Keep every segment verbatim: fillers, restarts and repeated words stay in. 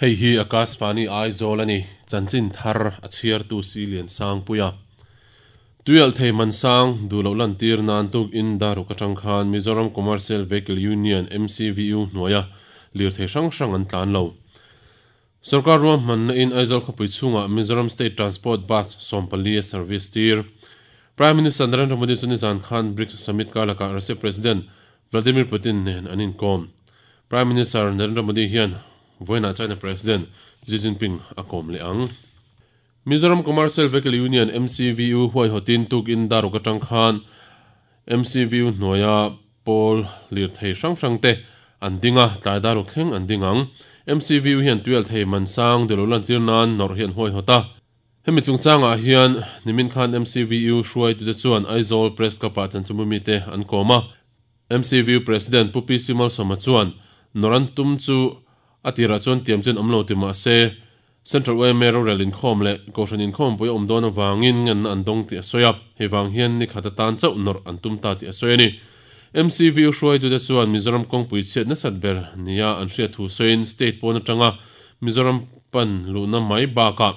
Hei hi Akashvani Aizawl ani chanchin thar a chhiar tu si lian sang puia tuyal thei man sang dulo lan tir nan tuk in daru ka tang khan Mizoram Commercial Vehicle Union M C V U hnuaia lir thei hrang hrang an tlan lo Sarkar ruam man na in Aizawl khawpui chhunga Mizoram State Transport Bus sawmpali service tir Prime Minister Narendra Modi chu nizan khan BRICS Summit kalaka Russia President Vladimir Putin nen an inkom Prime Minister Narendra Modi hian voina China President Xi Jinping a kom le ang Mizoram Commercial Vehicle Union M C V U huai hotin tuk in daru ka tang khan M C V U hnuaia pawl lir thei hrang hrang te an dinga tlai daru thleng an dingang M C V U hian tuel thei man sang delo lan tir nan nor hian huai hota hemi chungchanga hian nimin khan M C V U hruai tu te chuan Aizawl Press Club ah chanchumu mi te an koma M C V U President Pupi Simal Soma chuan noran tum chu atira chuan tiam chen omlo ti ma se Central U M A rorel in khom le koshan in khom pui om don awangin ngan an dong ti asoya hewang hian ni khata tan chau nor an tum ta ti asoya ni M C V U hruai tu te chuan Mizoram kawngpui chhiat nasat ber nia an hriat thu sawiin state pawn atanga Mizoram pan luhna mai bakah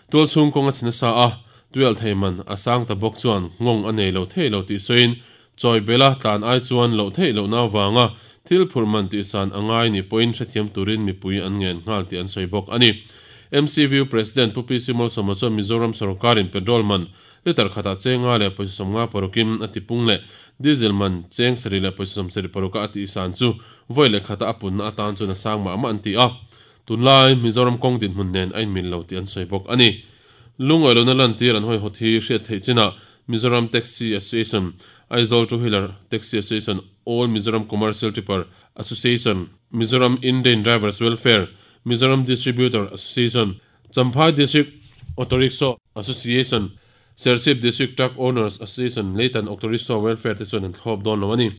tual chhung kawnga chhina sa a tuel thei man a sang ta bawk chuan ngawng a nei lo thei lo tih sawiin chawi bela tlan ai chuan lo thei lo na wanga thil phur man tih san angai ni pawhin hrethiam turin mipui an ngen nghal tih an sawi bawk ani M C V U President Pupi Simol Soma chuan Mizoram Sarkarin petrol man liter khata chenga le pawisa sawmnga parukin a tipung le diesel man cheng sari le pawisa sawm sari paruka a tih san chu voi le khata a punna atan chuan a sang mah mah an ti a tunlai Mizoram kawng din hmun nen a inmil lo tih an sawi bawk ani lungawi lo na lan tir an hawi hawt hi hriat theih chinah Mizoram Taxi Association Aizawl Two Wheeler Taxi Association All Mizoram Commercial Tipper Association Mizoram Indian Drivers Welfare Mizoram Distributor Association Champhai District Auto Rickshaw Association Serchhip District Truck Owners Association Leitan Auto Rickshaw Welfare te chuan an thlawp dawn lo ani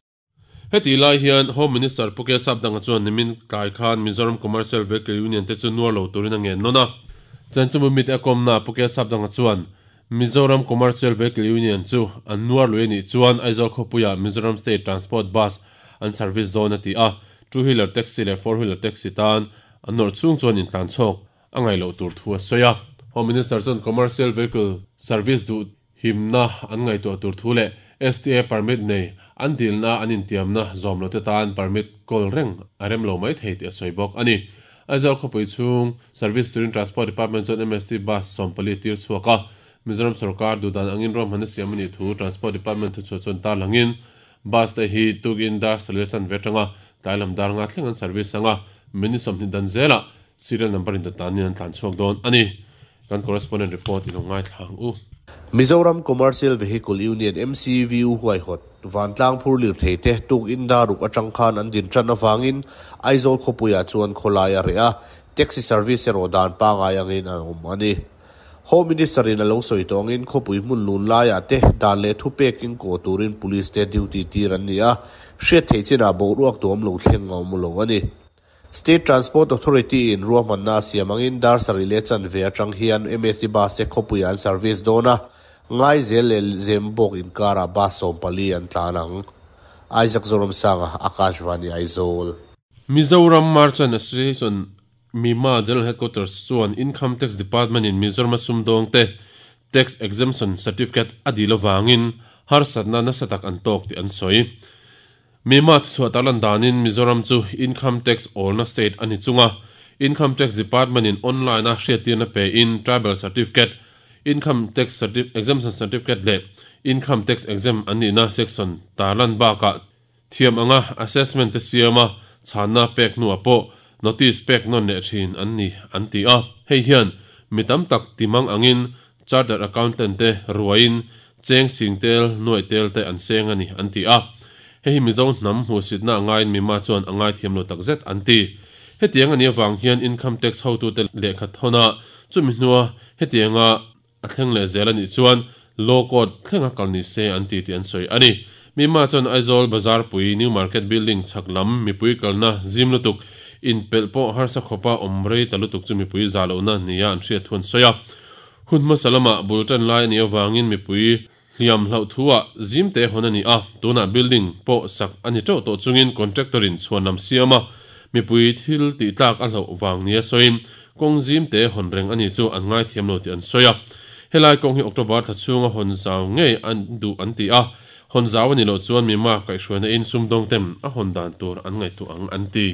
heti lai hian Home Minister Puke Sapdanga chuan nimin tlai khan Mizoram Commercial Vehicle Union te chu nuar lo turin a ngen nawn a chanchumu mit a kawmna Puke Sapdanga chuan Mizoram Commercial Vehicle Union chu an nuar lui ani chuan Aizawl khawpuia Mizoram State Transport Bus an service dawn a ti a two wheeler taxi le four wheeler taxi tan an nawr chung chuan in tlan chhawk a ngai lo tur thu a sawi a Home Minister chuan Commercial Vehicle Service du himna an ngai tuah tur thu le S T A permit nei an dilna an intiamna zawm lo te tan permit kawl reng a rem lo mai thei tih a sawi bawk ani Aizawl khawpui chhung Service Turin Transport Department chuan M S T bus sawmpali tir chhuak a Mizoram Sarkar dudan angin rom hana siam ani thu Transport Department thu chuan tar langin bus te hi tukin dar salir chan vetanga tailam dar nga thleng an service anga mini sawmhnih dan zela serial number in tan an tlan chhuak dawn ani kan correspondent report in ngai thlang u Mizoram Commercial Vehicle Union M C V U huai hot vantlang phur lir thei te tuk in daruk atang khan an din tran awangin Aizawl khawpuia chuan khawlai a reh a taxi service erawh dan pangai angin a awm ani Home Minister in a lo sawi tawngin khawpui hmun lun laiah te dan leh thu pekin kaw turin police te duty tir an ni a hriat thei chinah boruak tuam lo thleng a awm lo ani State Transport Authority in ruahmanna siam angin dar sari le chan ve atang hian M S C bus te khawpui an service dawn a ngai zel le Zembawk inkara bus sawmpali an tlan ang Isaac Zoramsanga Akashvani Aizawl Mizoram Merchant Association Mima General Headquarters chuan Income Tax Department in Mizoram sumdawng te tax exemption certificate a dil awangin harsatna nasa tak an tawk tih an sawi Mima chhuah tarlan danin Mizoram chu Income Tax awlna state ani chunga Income Tax Department in online a hriattirna pe in tribal certificate Income Tax Exemption Certificate le Income Tax Exempt an nihna section tarlan bakah thiam anga assessment te siama chhanna pek hnuah pawh notice pek non leh thin an ni an ti a hei hian mi tam tak timang angin chartered accountant te ruain cheng sing tel nuai tel te an seng ani an ti a hei hi Mizo hnam hmuhsitna angain mima chuan angai thiam lo takzet an ti hetiang ani awang hian income tax hotu te lehkha thawna chumi hnua hetianga a thleng leh zel ani chuan law court thlenga kal ni se an ti ti an sawi ani mima chuan Aizawl Bazar pui New Market Building chaklam mipui kalna zim lutuk in pelh pawh harsa khawpa awm rei ta lutuk chu mipui za lohna nia an hriat thuan sawi a hun hmasa lama bul tan lai ani awangin mipui hliam hloh thuah zim te hawn ani a tunah building pawh sak ani teuh tawh chungin contractor in chhuan lam siama Mipui thil ti tlak a hlo wang nia soin kong zim te hon reng ani chu an ngai thiam lo ti an soya. Helai kong hi October tha chunga hon zau ngei an du an ti a hon zau ani lo chuan mi ma kai hruaina in sumdong tem a hon dan tur an ngai tu ang an ti.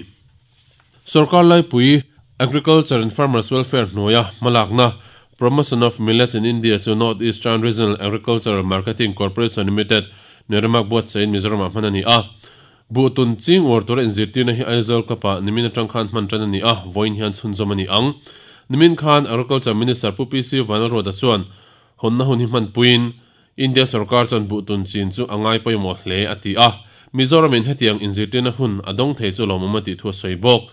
Sarkar lai pui Agriculture and Farmers Welfare hnuaia malakna Promotion of Millets in India chu North Eastern Regional Agricultural Marketing Corporation Limited neramak buat chain Mizoram ah hman ani a. Bu tun ching war tur in zirtirna hi Aizawl kapa nimin atang khan hman tan ani a voin hian chhunzawm ani ang. Nimin khan Agriculture Minister Pu P C Vanlalruata chuan honna hun hi hman puin India sarkar chuan bu tun chin chu angai pawimawh hle a ti a. Mizoram in hetiang inzirtirna hun adawng thei chu lawmawm a tih thu a sawi bawk.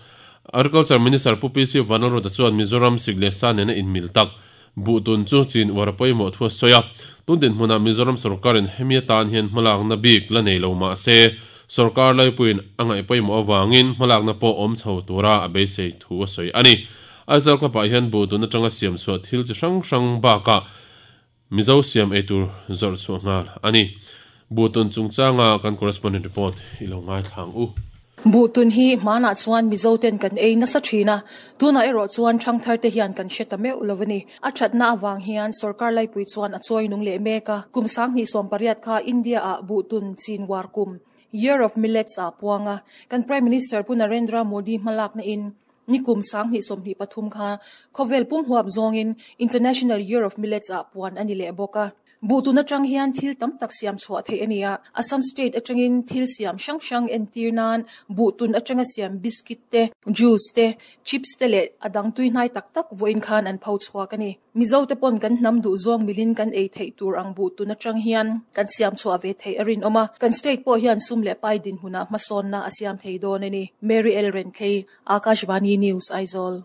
Agriculture Minister Pu P C Vanlalruata chuan Mizoram sik leh sa nena in mil tak bu tun chu chin war pawimawh thu a sawi a. Tun din hmunah Mizoram sarkarin hemi atan hian hmalakna bik la nei lo mah se sarkar laipuiin a ngaih pawimawh awangin hmalakna pawh awm chho tura a beisei thu a sawi ani. Aizawl klapah hian bu tun atanga siam chhuah thil chi hrang hrang bakah Mizo siam eitur zawrh chhuah nghal ani. Bu tun chungchanga kan correspondent report i lo ngai thlang u. Bu tun hi mana chuan Mizo ten kan ei nasa thina tuna ero chuan thangthar te hian kan hre ta meu lovani a thatna awang hian sarkar laipui chuan a choi nung le meka kum sang ni som pariat kha India a bu tun chin war kum Year of Millets a puanga kan Prime Minister Pu Narendra Modi malak na in nikum sang ni som ni pathum kha khovel pum huap zongin International Year of Millets a puan ani le boka. Bu tun atang hian thil tam tak siam chhuah thei ania. Assam state atangin thil siam hrang hrang entir nan bu tun atanga siam biscuit te juice te chips te leh adang tui hnai tak tak voin khan an pho chhuak ani. Mizo te pon kan hnam du zawng milin kan ei thei tur ang bu tun atang hian kan siam chhuah ve thei arin awma. Kan state pawh hian sum leh pai din huna hmasawn na a siam thei dawn ani. Mary L Renthei, Akashvani News, Aizawl.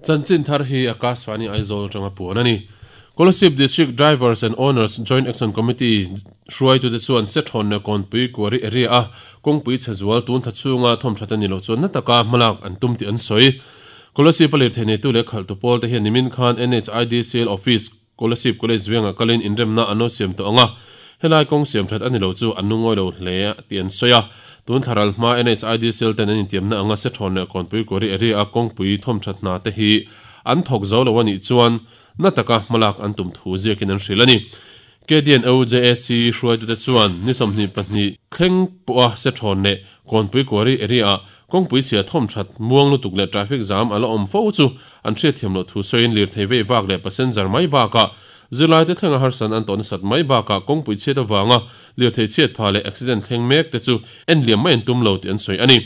Chanchin thar hi Akashvani Aizawl tanga puan ani. Kolasib District Drivers and Owners Joint Action Committee hruai tu te chuan se thawn le kawnpui kuari area a kawngpui chhe zual tun tha chunga thawm that ani lo chuan na taka hmalak an tum ti an sawi. Kolasib a lirthei nei tu leh khalh tu pawl te hian nimin khan N H I D C L Office Kolasib College venga kalin inremna an lo siam tawh anga helai kawng siam that ani lo chu an lungawi lo hle ti an sawi a. Tun tharal hma N H I D C L ten an intiamna anga se thawn le kawnpui kuari area a kawngpui thawm that hna te hi an thawk zo lo ani chuan na taka hmalak an tum thu ziakin an hril ani. K D N O J A C hruai tu te chuan ni sawmhnih pahnih thleng pawha se thawn leh kawnpui kuari area kawngpui chhia thawm that muang lutuk leh traffic jam a la awm fo chu an hriat thiam loh thu sawiin lirthei vei vak leh passenger mai bakah zirlai te thlenga harsan an tawh nasat mai bakah kawngpui chhiat awanga lirthei chhiat pha leh accident thleng mek te chu en liam mai an tum lo tih an sawi ani.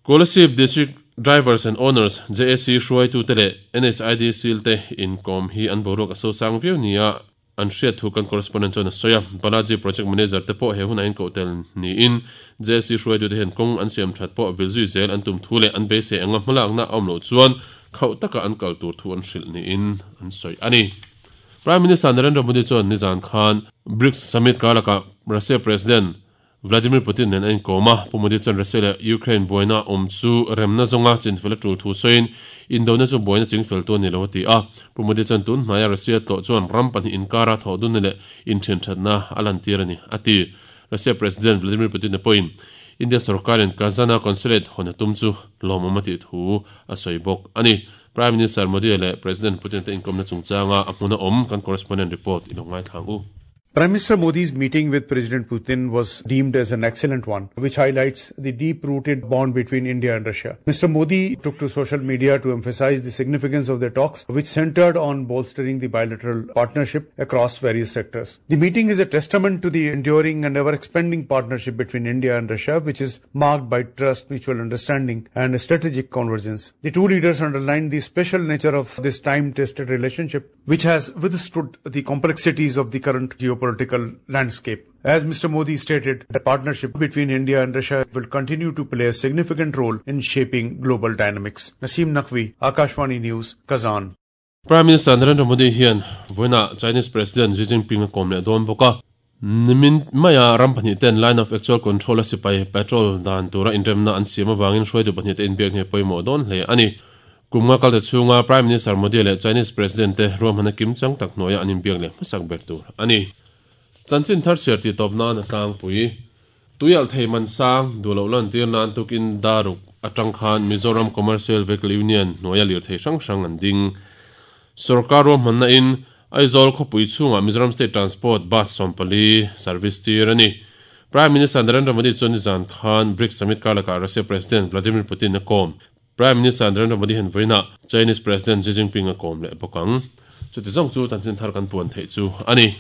Kolasib District Drivers and Owners J A C hruai tu te leh N H I D C L te inkom hi an boruak a sosang viau nia an hriat thu kan correspondent chuan a sawi a. Balaji Project Manager te pawh he hun a inkoh tel niin J A C hruai tu te hian kawng an siam that pawh vil zui zel an tum thu leh an beisei anga hmalakna a awm loh chuan khauh taka an kal tur thu an hrilh niin an sawi ani. Prime Minister Narendra Modi chuan nizan khan BRICS Summit karlaka Russia President Vladimir Putin nen a inkawm a. Pu Modi chuan Russia leh Ukraine buaina awm chu remna zawnga chinfel a tul thu sawiin indona chu buaina chingfel tu ani lo a ti a. Pu Modi chuan tun hnaia Russia tlawh chuan ram pahnih inkara thawh dun leh inthen thatna a lantir ani a ti. Russia President Vladimir Putin pawhin India sarkarin Kazana consulate hawn a tum chu lawmawm a tih thu a sawi bawk ani. Prime Minister Modi leh President Putin te inkawmna chungchanga a hmuna awm kan correspondent report i lo ngai thlang u. Prime Minister Modi's meeting with President Putin was deemed as an excellent one, which highlights the deep-rooted bond between India and Russia. Mister Modi took to social media to emphasize the significance of their talks, which centered on bolstering the bilateral partnership across various sectors. The meeting is a testament to the enduring and ever-expanding partnership between India and Russia, which is marked by trust, mutual understanding, and strategic convergence. The two leaders underlined the special nature of this time-tested relationship, which has withstood the complexities of the current geopolitical political landscape. As Mister Modi stated, the partnership between India and Russia will continue to play a significant role in shaping global dynamics. Naseem Naqvi, Akashvani News, Kazan. Prime Minister Narendra Modi hian voina Chinese President Xi Jinping a kawm leh dawn bawk a. Nimin maya ram pahnih ten line of actual control a sipai patrol dan tura inremna an siam awangin hruaitu pahnih te inbiak hne pawimawh dawn hle ani. Kumnga kal te chhunga Prime Minister Modi leh Chinese President te ruahmana kim chang tak hnuaia an inbiak leh hmasak ber tur ani. Chanchin thar siar ti tawp nan a tlangpui. Tuialh thei man sang duh loh lan tir nan tukin daruk atang khan Mizoram Commercial Vehicle Union hnuaia lirthei hrang hrang an ding. Sorkar ruahmanna in Aizawl khawpui chhungah Mizoram State Transport Bus sawmpali service tir a ni. Prime Minister Narendra Modi chuan nizan khan BRICS Summit karlakah Russia President Vladimir Putin a kawm. Prime Minister Narendra Modi hian vawiinah Chinese President Xi Jinping a kawm leh bawk ang. Chuti zawng chu chanchin thar kan puan theih chu a ni.